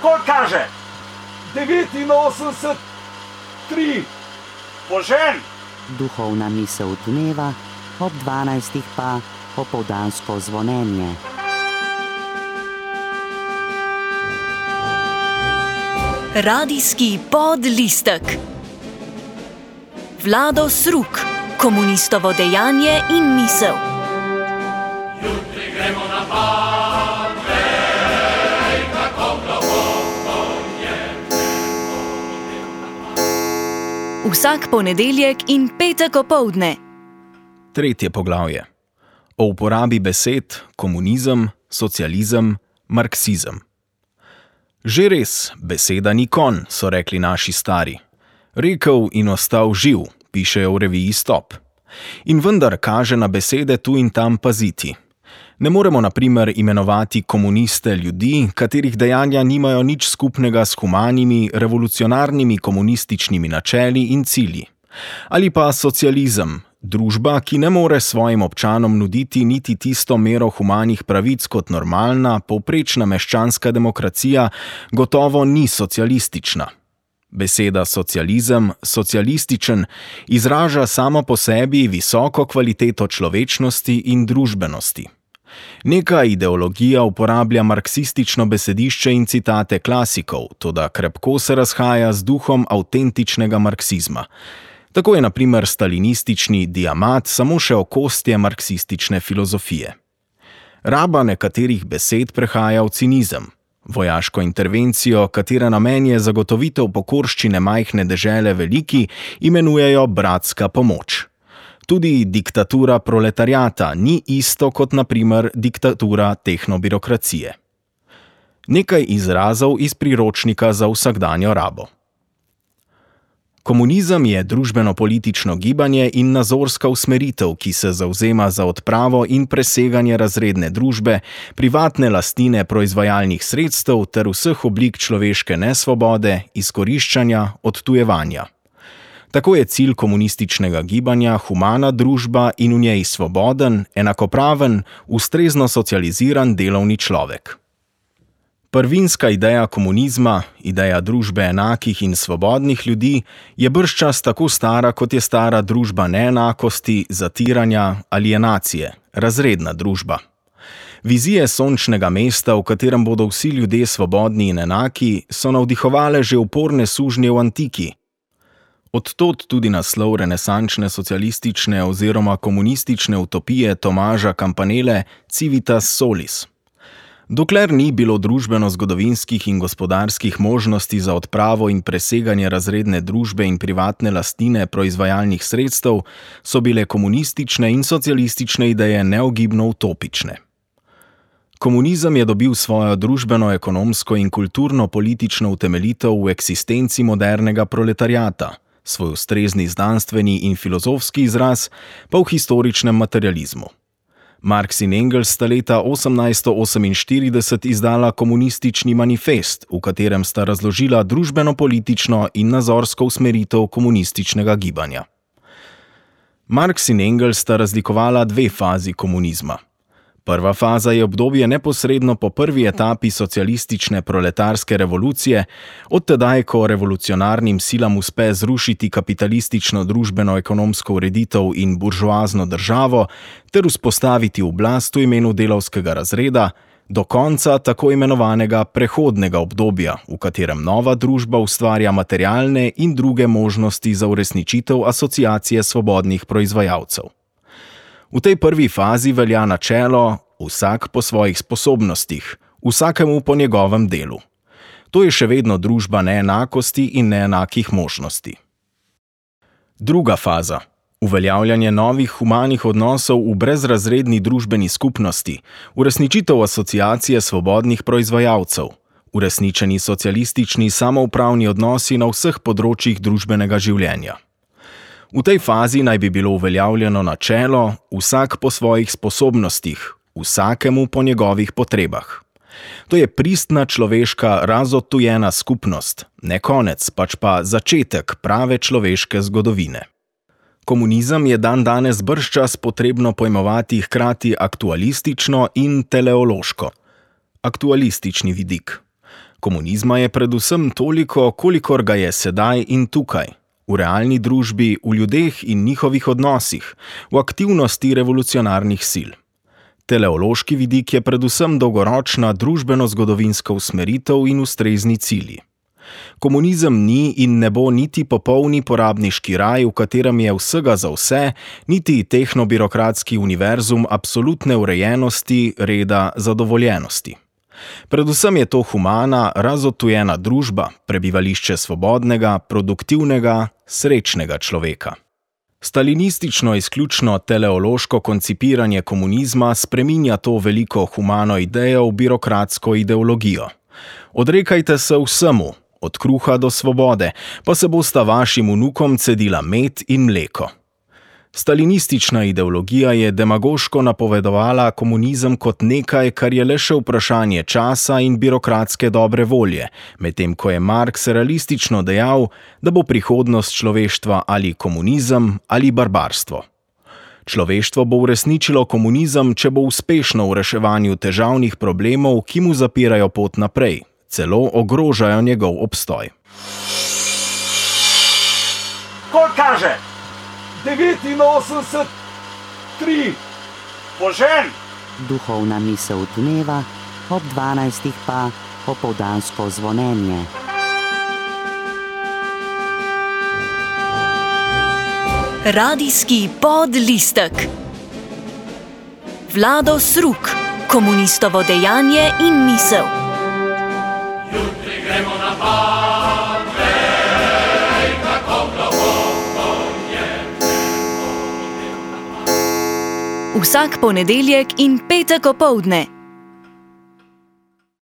Koliko kaže? 89,3. Požen! Duhovna misel dneva, ob 12. pa popoldansko zvonjenje. Radijski podlistek. Vlado Sruk, komunistovo dejanje in misel. Jutri gremo na Patrej, kako globoko je gremo. Vsak ponedeljek in petek opoldne. 3. poglavje. O uporabi besed komunizem, socializem, marksizem. Že res, beseda ni konj, so rekli naši stari. Rekel in ostal živ, pišejo v reviji Stop. In vendar kaže na besede tu in tam paziti. Ne moremo na primer imenovati komuniste ljudi, katerih dejanja nimajo nič skupnega s humanimi, revolucionarnimi komunističnimi načeli in cilji. Ali pa socializem, družba, ki ne more svojim občanom nuditi niti tisto mero humanih pravic kot normalna, povprečna meščanska demokracija, gotovo ni socialistična. Beseda socializem, socialističen, izraža samo po sebi visoko kvaliteto človečnosti in družbenosti. Neka ideologija uporablja marksistično besedišče in citate klasikov, toda krepko se razhaja z duhom avtentičnega marksizma. Tako je na primer stalinistični diamat samo še okostje marksistične filozofije. Raba nekaterih besed prehaja v cinizem. Vojaško intervencijo, katera namen je zagotovitev pokorščine majhne dežele veliki, imenujejo bratska pomoč. Tudi diktatura proletariata ni isto kot na primer diktatura tehnobirokracije. Nekaj izrazov iz priročnika za vsakdanjo rabo. Komunizem je družbeno-politično gibanje in nazorska usmeritev, ki se zavzema za odpravo in preseganje razredne družbe, privatne lastnine proizvajalnih sredstev ter vseh oblik človeške nesvobode, izkoriščanja, odtujevanja. Tako je cilj komunističnega gibanja humana družba in v njej svoboden, enakopraven, ustrezno socializiran delovni človek. Prvinska ideja komunizma, ideja družbe enakih in svobodnih ljudi, je bržčas tako stara, kot je stara družba neenakosti, zatiranja, alienacije, razredna družba. Vizije sončnega mesta, v katerem bodo vsi ljudje svobodni in enaki, so navdihovale že uporne sužnje v antiki. Odtod tudi naslov renesančne socialistične oziroma komunistične utopije Tomaža Campanelle Civitas Solis. Dokler ni bilo družbeno-zgodovinskih in gospodarskih možnosti za odpravo in preseganje razredne družbe in privatne lastnine proizvajalnih sredstev, so bile komunistične in socialistične ideje neogibno utopične. Komunizem je dobil svojo družbeno-ekonomsko in kulturno-politično utemeljitev v eksistenci modernega proletariata, svoj ustrezni znanstveni in filozofski izraz pa v historičnem materializmu. Marx in Engels sta leta 1848 izdala komunistični manifest, v katerem sta razložila družbeno-politično in nazorsko usmeritev komunističnega gibanja. Marx in Engels sta razlikovala dve fazi komunizma. Prva faza je obdobje neposredno po prvi etapi socialistične proletarske revolucije, od tedaj, ko revolucionarnim silam uspe zrušiti kapitalistično družbeno-ekonomsko ureditev in buržoazno državo ter vzpostaviti oblast v imenu delavskega razreda, do konca tako imenovanega prehodnega obdobja, v katerem nova družba ustvarja materialne in druge možnosti za uresničitev asociacije svobodnih proizvajalcev. V tej prvi fazi velja načelo vsak po svojih sposobnostih, vsakemu po njegovem delu. To je še vedno družba neenakosti in neenakih možnosti. Druga faza. Uveljavljanje novih humanih odnosov v brezrazredni družbeni skupnosti, uresničitev asociacije svobodnih proizvajalcev, uresničeni socialistični samoupravni odnosi na vseh področjih družbenega življenja. V tej fazi naj bi bilo uveljavljeno načelo vsak po svojih sposobnostih, vsakemu po njegovih potrebah. To je pristna človeška razodtujena skupnost, ne konec, pač pa začetek prave človeške zgodovine. Komunizem je dandanes bržčas potrebno pojmovati hkrati aktualistično in teleološko. Aktualistični vidik. Komunizma je predvsem toliko, kolikor ga je sedaj in tukaj. V realni družbi, v ljudeh in njihovih odnosih, v aktivnosti revolucionarnih sil. Teleološki vidik je predvsem dolgoročna družbeno-zgodovinska usmeritev in ustrezni cilji. Komunizem ni in ne bo niti popolni porabniški raj, v katerem je vsega za vse, niti tehnobirokratski univerzum absolutne urejenosti, reda, zadovoljenosti. Predvsem je to humana, razodtujena družba, prebivališče svobodnega, produktivnega, srečnega človeka. Stalinistično izključno teleološko koncipiranje komunizma spreminja to veliko humano idejo v birokratsko ideologijo. Odrekajte se vsemu, od kruha do svobode, pa se bosta vašim vnukom cedila med in mleko. Stalinistična ideologija je demagoško napovedovala komunizem kot nekaj, kar je le še vprašanje časa in birokratske dobre volje, medtem ko je Marx realistično dejal, da bo prihodnost človeštva ali komunizem ali barbarstvo. Človeštvo bo uresničilo komunizem, če bo uspešno v reševanju težavnih problemov, ki mu zapirajo pot naprej, celo ogrožajo njegov obstoj. Ko kaže 89, 3, požen! Duhovna misel dneva, ob 12. pa opoldansko zvonjenje. Radijski podlistek. Vlado Sruk, komunistovo dejanje in misel. Jutri gremo na pad, vej, kako globoko je. Vsak ponedeljek in petek opoldne